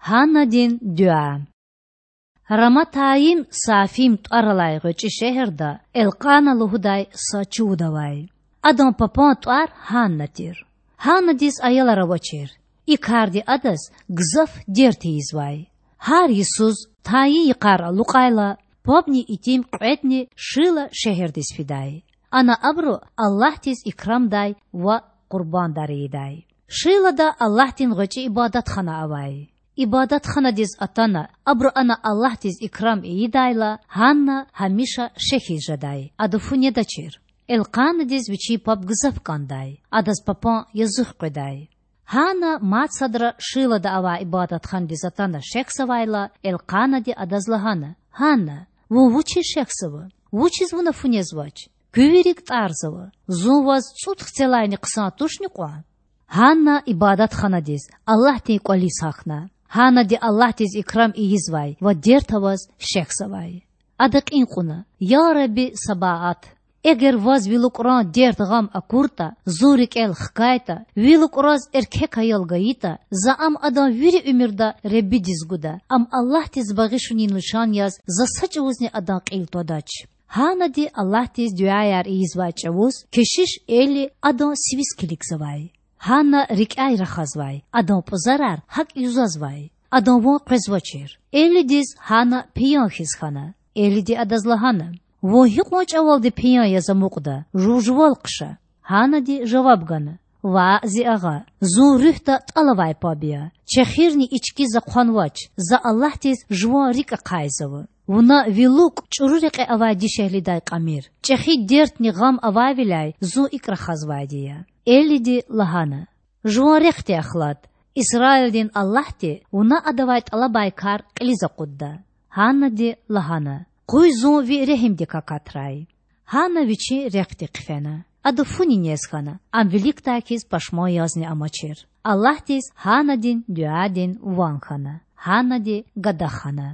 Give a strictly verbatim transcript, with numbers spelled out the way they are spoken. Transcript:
Гьаннадин дуьа. Раматайим-Саафим тӀвар алай гъвечӀи шегьерда Элкъана лугьудай са чувуд авай. Адан папан тӀвар Гьанна тир. Гьаннадиз аялар авачир. И карди адаз гзаф дерт ийизвай. Гьар йисуз, тайин йикъар алукьайла, пабни итим кьведни Шила шегьердиз фидай. Ана абуру Аллагьдиз икрамдай ва къурбандар ийидай. Шилада Аллагьдин гъвечӀи ибадатхана авай. Ибадатханадиз атана, абуру ана Аллагьдиз икрам ийидайла, Гьанна гьамиша шехьиз жедай, ада фу недачир. Элкъанадиз вичин паб гзаф кӀандай, адаз папан язух къведай. Гьанна мад садра Шилада авай ибадатханадиз атана шехьзавайла, Элкъанади адаз лагьана: Гьанна, вун вучиз шехьзава? Вучиз вуна фу незвач? Куь вири кӀтӀарзава. Зун ваз цӀуд хцелайни хъсан тушни кьван? Гьанна ибадатханадиз, Аллагьдин кӀвализ гьахьна. Гьаннади Аллагьдиз икрам ийизвай ва дерт аваз шехьзавай. Ада кьин кьуна: Я Рабби Сабаат! Эгер Ваз ви лукӀран дерт-гъам акуртӀа, зун рикӀел хкайтӀа, ви лукӀраз эркек аял гайитӀа, за ам адан вири уьмуьрда Реббидиз гуда, ам Аллагьдиз багъишунин лишан яз за са чӀавузни адан кьил твадач. Гьаннади Аллагьдиз дуьаяр ийизвай чӀавуз кешиш Эли адан сивиз килигзавай. Гьанна рикӀяй рахазвай, адан пӀузарар гьакӀ юзазвай, адан ван къвезвачир. Элидиз Гьанна пиян хьиз хьана. Элиди адаз лагьана: Вун гьикьван чӀавалди пиян яз амукьда? Жув жувал хъша. Гьаннади жаваб гана: Ваъ, зи агъа, зун руьгьда тӀал авай паб я. Чехирни ички за хъванвач, за Аллагьдиз жуван рикӀ ахъайзава. Вуна ви лукӀ чӀуру рекье авай дишегьлидай кьамир. ЧӀехи дертни гъам авайвиляй зун икӀ рахазвайди я. Элиди лагьана: Жуван рехъди ахлад. Исраилдин Аллагьди вуна адавай тӀалабай кар кьилиз акъудда. Гьаннади лагьана: Къуй зун ви регьимдик акатрай. Гьанна вичин рехъди хъфена. Ада фуни нез хьана, ам виликдай хьиз пашман язни амачир. Аллагьдиз Гьаннадин дуьадин ван хьана. Гьаннади гада хана.